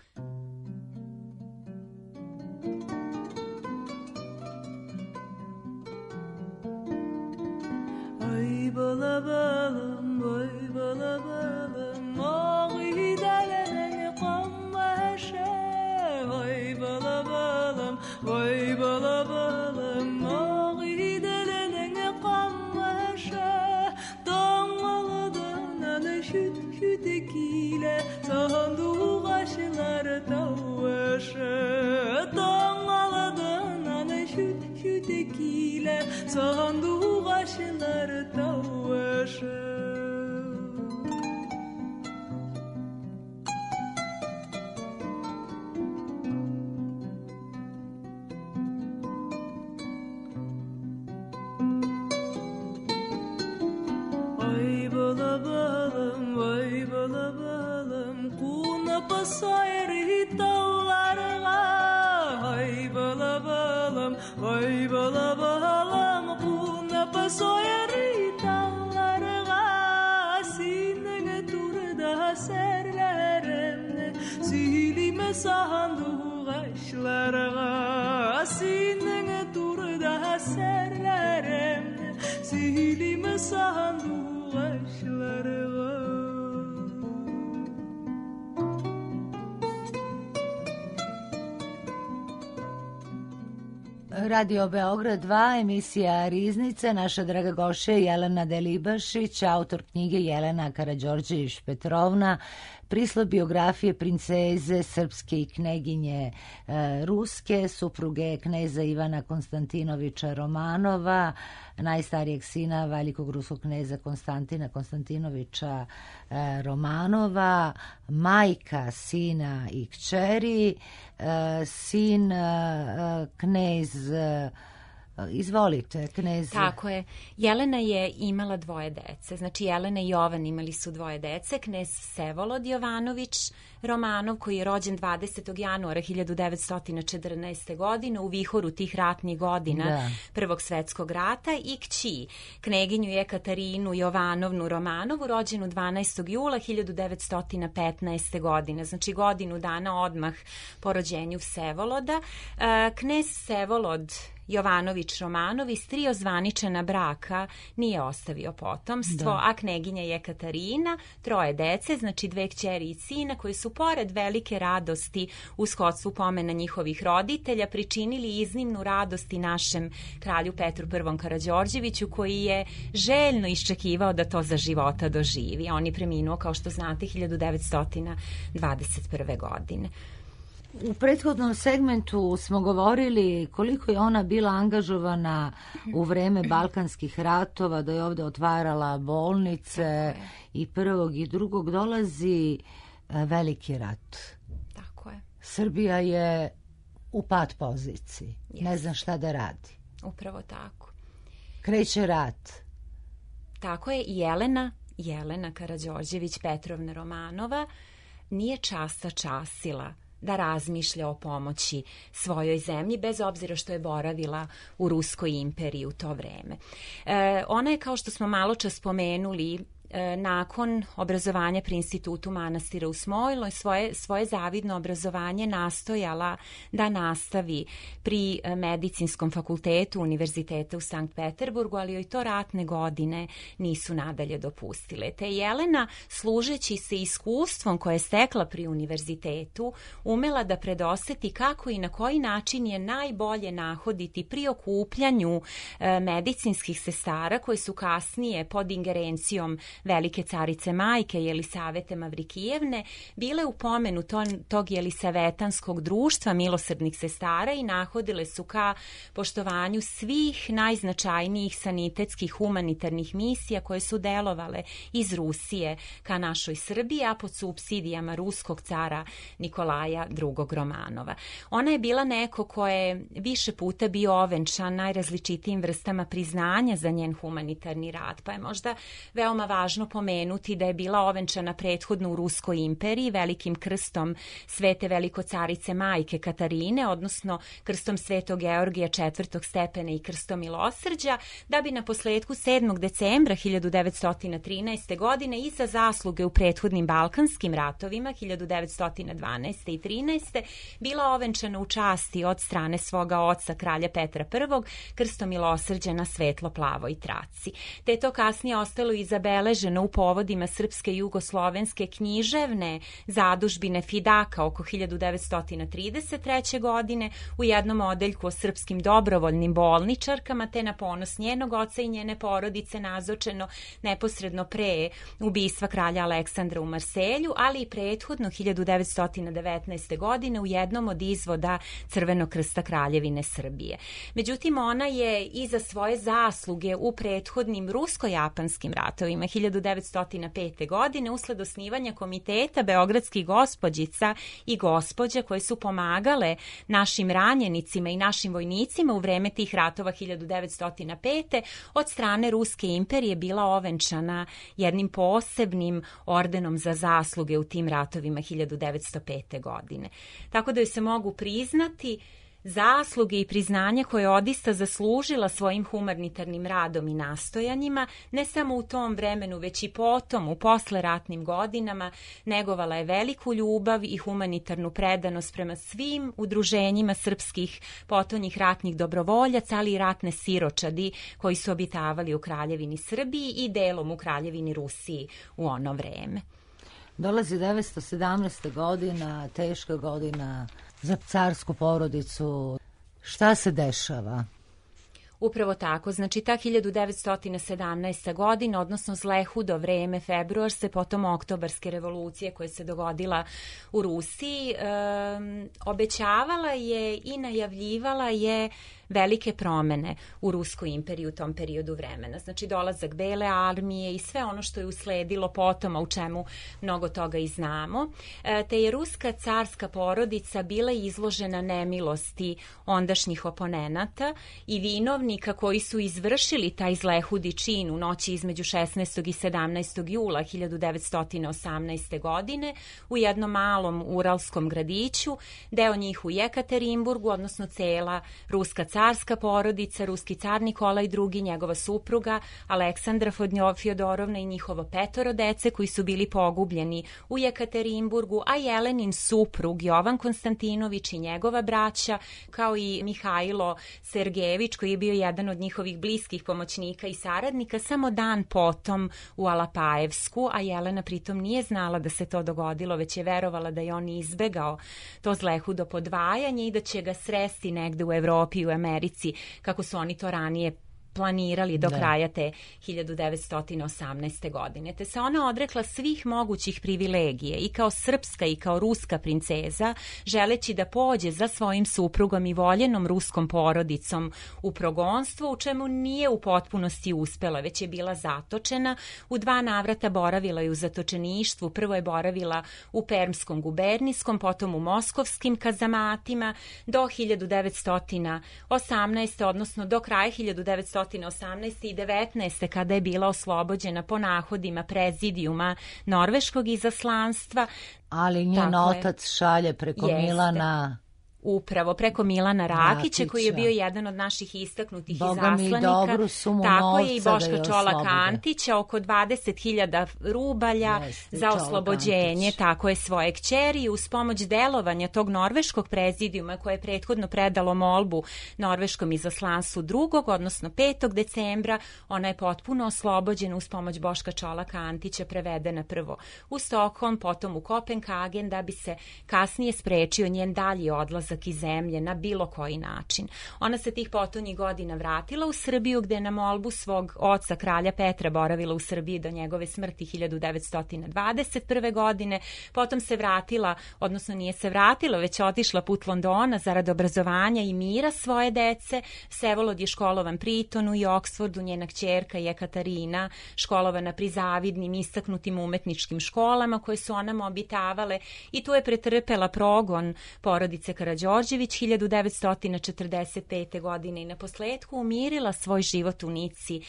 Ay balabalım, ay balabalım, ağrı delenen kammeşe. Ay balabalım, ay balabalım, ağrı delenen kammeşe. Dağmalıdan ale şüt şütekile, sandu kaşlar tavaşe. Dağmalıdan ale şüt şütekile, sandu kaşlar tavaşe. Ay balabalım, vay balabalım, kuna pasayri tavlarga. Ay balabalım, vay balabalım, kuna pasayri tavlarga. Sinene turda serlerimne, silime sandu kaşlarga. Sinene turda serlerimne, silime sandu kaşlarga. Radio Beograd 2, emisija Riznica. Naša draga gošća je Jelena Delibašić, autor knjige Jelena Karađorđević Petrovna, prislov biografije princeze srpske i kneginje ruske, supruge kneza Ivana Konstantinovića Romanova, najstarijeg sina velikog ruskog kneza Konstantina Konstantinovića Romanova, majka sina i kćeri, sin knez. Izvolite, knez. Tako je. Jelena je imala dvoje dece. Znači, Jelena i Jovan imali su dvoje dece. Knez Vsevolod Jovanović Romanov, koji je rođen 20. januara 1914. godine u vihoru tih ratnih godina Prvog svetskog rata, i kći kneginju Jekaterinu Jovanovnu Romanovu, rođenu 12. jula 1915. godine. Znači, godinu dana odmah po rođenju Vsevoloda. Knez Vsevolod Jovanović Romanov iz 3 ozvaničena braka nije ostavio potomstvo, a kneginja Jekaterina 3 dece, znači 2 kćeri i sina, koji su pored velike radosti u shodstvu pomena njihovih roditelja pričinili iznimnu radost i našem kralju Petru I Karađorđeviću, koji je željno iščekivao da to za života doživi. On je preminuo, kao što znate, 1921. godine. U prethodnom segmentu smo govorili koliko je ona bila angažovana u vreme Balkanskih ratova, da je ovde otvarala bolnice i prvog i drugog. Dolazi veliki rat. Tako je. Srbija je u pat poziciji. Ne zna šta da radi. Upravo tako. Kreće rat. Tako je. Jelena Karađorđević Petrovna Romanova nije časila da razmišlja o pomoći svojoj zemlji, bez obzira što je boravila u Ruskoj imperiji u to vreme. Ona je, kao što smo malo čas spomenuli, nakon obrazovanja pri institutu manastira u Smojloj svoje zavidno obrazovanje nastojala da nastavi pri medicinskom fakultetu Univerziteta u Sankt Peterburgu, ali joj to ratne godine nisu nadalje dopustile. Te Jelena, služeći se iskustvom koje je stekla pri univerzitetu, umela da predoseti kako i na koji način je najbolje nahoditi pri okupljanju medicinskih sestara koje su kasnije pod ingerencijom velike carice majke Jelisavete Mavrikijevne bile u pomenu tog Jelisavetanskog društva milosrdnih sestara i nahodile su ka poštovanju svih najznačajnijih sanitetskih humanitarnih misija koje su delovale iz Rusije ka našoj Srbiji, a pod supsidijama ruskog cara Nikolaja II. Romanova. Ona je bila neko ko je više puta bio ovenčan najrazličitijim vrstama priznanja za njen humanitarni rad, pa je možda veoma važno pomenuti da je bila ovenčana prethodno u Ruskoj imperiji velikim krstom Svete velikocarice majke Katarine, odnosno krstom Svetog Georgija četvrtog stepena i krstom milosrđa, da bi na posledku 7. decembra 1913. godine i za zasluge u prethodnim Balkanskim ratovima 1912. i 13. bila ovenčana u časti od strane svoga oca kralja Petra I. krstom milosrđa na svetlo-plavoj traci. Te je to kasnije ostalo i zabeleženo u povodima srpske jugoslovenske književne zadužbine Fidaka oko 1933. godine u jednom odeljku o srpskim dobrovoljnim bolničarkama, te na ponos njenog oca i njene porodice nazočeno neposredno pre ubistva kralja Aleksandra u Marselju, ali i prethodno 1919. godine u jednom od izvoda Crvenog krsta Kraljevine Srbije. Međutim, ona je i za svoje zasluge u prethodnim rusko-japanskim ratovima 1905. godine usled osnivanja komiteta beogradskih gospođica i gospođa koje su pomagale našim ranjenicima i našim vojnicima u vreme tih ratova 1905. od strane Ruske imperije bila ovenčana jednim posebnim ordenom za zasluge u tim ratovima 1905. godine. Tako da joj se mogu priznati zasluge i priznanje koje je odista zaslužila svojim humanitarnim radom i nastojanjima, ne samo u tom vremenu, već i potom, u posleratnim godinama, negovala je veliku ljubav i humanitarnu predanost prema svim udruženjima srpskih potonjih ratnih dobrovoljaca, ali i ratne siročadi koji su obitavali u Kraljevini Srbiji i delom u Kraljevini Rusiji u ono vreme. Dolazi 917. godina, teška godina za carsku porodicu. Šta se dešava? Upravo tako, znači ta 1917. godina, odnosno zlehudo vreme, februarske, potom oktobarske revolucije koja se dogodila u Rusiji, obećavala je i najavljivala je velike promene u Ruskoj imperiji u tom periodu vremena. Znači dolazak Bele armije i sve ono što je usledilo potom, a u čemu mnogo toga i znamo. Te je ruska carska porodica bila izložena nemilosti ondašnjih oponenata i vinovnika koji su izvršili taj zlehudi čin u noći između 16. i 17. jula 1918. godine u jednom malom uralskom gradiću, deo njih u Jekaterinburgu, odnosno cela ruska carska porodica, ruski car Nikolaj II, njegova supruga Aleksandra Fjodorovna i njihovo 5 dece koji su bili pogubljeni u Jekaterinburgu, a Jelenin suprug Jovan Konstantinović i njegova braća, kao i Mihajlo Sergejević koji je bio jedan od njihovih bliskih pomoćnika i saradnika, samo dan potom u Alapajevsku, a Jelena pritom nije znala da se to dogodilo, već je verovala da je on izbegao to zlehudo podvajanje i da će ga sresti negde u Evropi i u Americi, kako su oni to ranije planirali do kraja te 1918. godine. Te se ona odrekla svih mogućih privilegije i kao srpska i kao ruska princeza, želeći da pođe za svojim suprugom i voljenom ruskom porodicom u progonstvo, u čemu nije u potpunosti uspela, već je bila zatočena. U 2 navrata boravila je u zatočeništvu. Prvo je boravila u Permskom gubernijskom, potom u moskovskim kazamatima do 1918. odnosno do kraja 1918. i 19. kada je bila oslobođena po nahodima prezidijuma norveškog izaslanstva. Ali njen otac šalje preko Milana... Upravo preko Milana Rakića, koji je bio jedan od naših istaknutih izaslanika. Tako je i Boška Čolaka Antića, oko 20.000 rubalja za oslobođenje, tako je, svoje kćeri. Uz pomoć delovanja tog norveškog prezidijuma koje je prethodno predalo molbu norveškom izaslanstvu 2. odnosno 5. decembra, ona je potpuno oslobođena uz pomoć Boška Čolaka Antića, prevedena prvo u Stokholm, potom u Kopenhagen, da bi se kasnije sprečio njen dalji odlazak izlazak iz zemlje na bilo koji način. Ona se tih potonjih godina vratila u Srbiju, gde je na molbu svog oca, kralja Petra, boravila u Srbiji do njegove smrti 1921. godine. Potom se vratila, odnosno nije se vratila, već otišla put Londona zarad obrazovanja i mira svoje dece. Vsevolod je školovan pri Etonu i Oksfordu, njena kćerka je Katarina, školovana pri zavidnim, istaknutim umetničkim školama koje su onamo obitavale, i tu je pretrpela progon porodice Karađorđević 1945. godine i na posledku umirila svoj život u Nici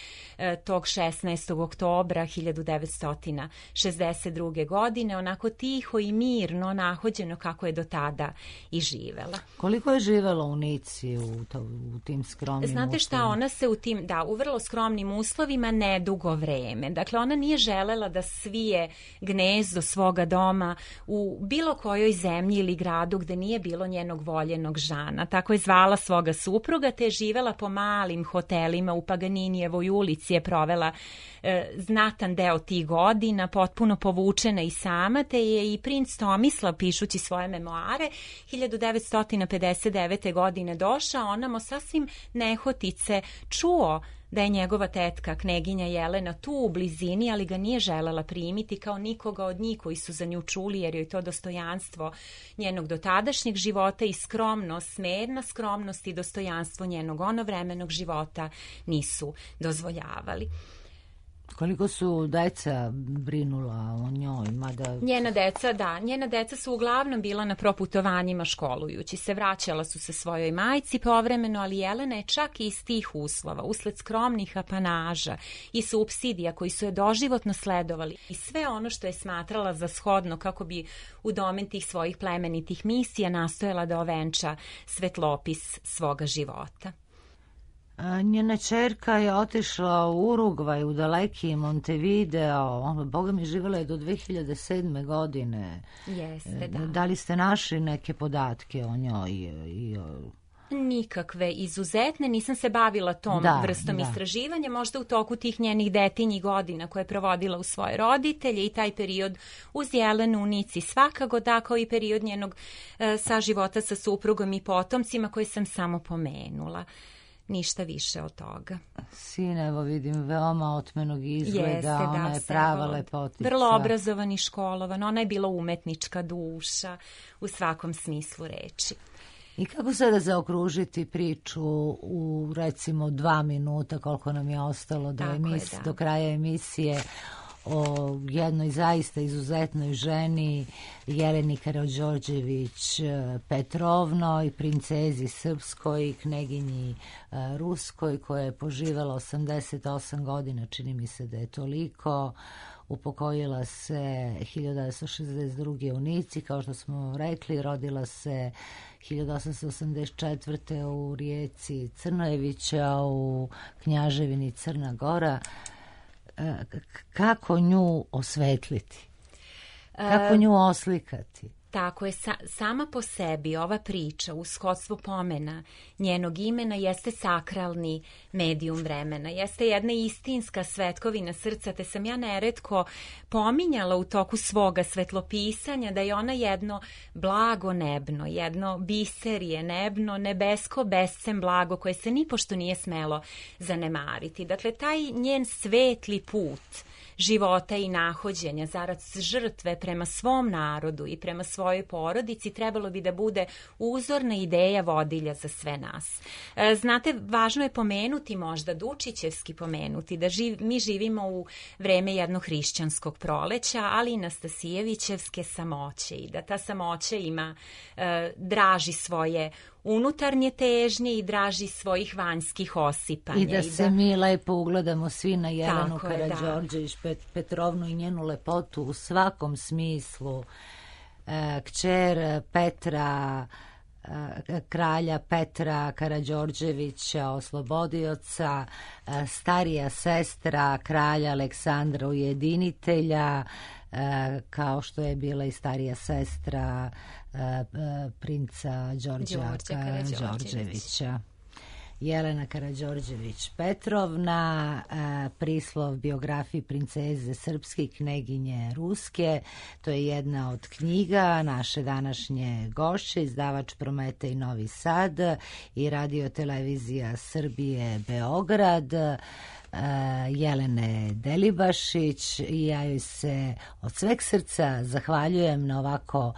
tog 16. oktobra 1962. godine, onako tiho i mirno, nahođeno kako je do tada i živela. Koliko je živela u Nici u tim skromnim uslovima? Znate šta, ona se u vrlo skromnim uslovima nedugo vreme. Dakle, ona nije želela da svije gnezdo svoga doma u bilo kojoj zemlji ili gradu gde nije bilo njenog voljenog žana. Tako je zvala svoga supruga, te je živela po malim hotelima u Paganinijevoj ulici, je provela znatan deo tih godina, potpuno povučena i sama, te je i princ Tomislav, pišući svoje memoare, 1959. godine došao, onamo sasvim nehotice čuo da je njegova tetka, kneginja Jelena, tu u blizini, ali ga nije želela primiti kao nikoga od njih koji su za nju čuli, jer joj to dostojanstvo njenog dotadašnjeg života i skromnost, smerna skromnost i dostojanstvo njenog onovremenog života nisu dozvoljavali. Koliko su deca brinula o njoj? Njena deca su uglavnom bila na proputovanjima školujući se. Vraćala su se svojoj majci povremeno, ali Jelena je čak i iz tih uslova, usled skromnih apanaža i supsidija koji su je doživotno sledovali i sve ono što je smatrala za shodno kako bi u domen tih svojih plemenitih misija nastojala da ovenča svetlopis svoga života. Njena ćerka je otišla u Urugvaj, u daleki Montevideo. Boga mi, živjela je do 2007. godine. Jeste, da. Da li ste našli neke podatke o njoj? Nikakve izuzetne, nisam se bavila tom vrstom istraživanja, možda u toku tih njenih detinjih godina koje je provodila u svoje roditelje i taj period uz Jelenu u Nici svakako, da, kao i period njenog saživota sa suprugom i potomcima koje sam samo pomenula. Ništa više od toga. Sin, evo vidim, veoma otmenog izgleda, ona je prava lepotica. Vrlo obrazovan i školovan, ona je bila umetnička duša u svakom smislu reči. I kako sada zaokružiti priču u recimo 2 minuta, koliko nam je ostalo do kraja emisije, o jednoj zaista izuzetnoj ženi, Jeleni Karađorđević Petrovnoj, princezi srpskoj i kneginji ruskoj, koja je poživela 88 godina, čini mi se da je toliko. Upokojila se 1962. u Nici, kao što smo rekli, rodila se 1884. u Rijeci Crnojevića u Knjaževini Crna Gora. Kako nju osvetliti? Kako nju oslikati? Tako je, sama po sebi ova priča u shodstvu pomena njenog imena jeste sakralni medijum vremena, jeste jedna istinska svetkovina srca, te sam ja neretko pominjala u toku svoga svetlopisanja da je ona jedno blago nebno, jedno biserije nebno, nebesko bescem blago koje se nipošto nije smelo zanemariti. Dakle, taj njen svetli put života i nahođenja zarad žrtve prema svom narodu i prema svojoj porodici trebalo bi da bude uzorna ideja vodilja za sve nas. Znate, važno je pomenuti, možda Dučićevski pomenuti, da mi živimo u vreme jednog hrišćanskog proleća, ali i Nastasijevićevske samoće i da ta samoća ima, draži svoje unutarnje težnje i draži svojih vanjskih osipanja. I da se mi lepo ugledamo svi na Jelenu Karađorđević Petrovnu i njenu lepotu u svakom smislu. Kćer Petra, kralja Petra Karađorđevića, oslobodioca, starija sestra kralja Aleksandra Ujedinitelja, kao što je bila i starija sestra princa Đorđa Karađorđevića. Jelena Karađorđević-Petrovna, prislov biografiji princeze srpske i kneginje ruske. To je jedna od knjiga naše današnje gošće, izdavač Prometej Novi Sad i Radio televizija Srbije Beograd, Jelene Delibašić. I ja joj se od sveg srca zahvaljujem na ovako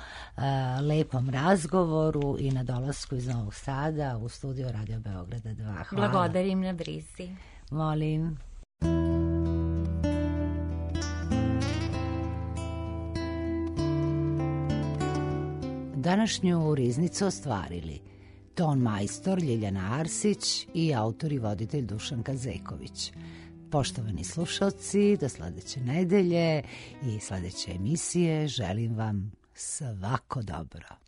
lepom razgovoru i na dolasku iz Novog Sada u studio Radio Beograda 2. Hvala. Blagodarim na brizi. Molim. Današnju riznicu ostvarili ton majstor Ljiljana Arsić i autor i voditelj Dušan Kazeković. Poštovani slušalci, do sledeće nedelje i sledeće emisije želim vam svako dobro.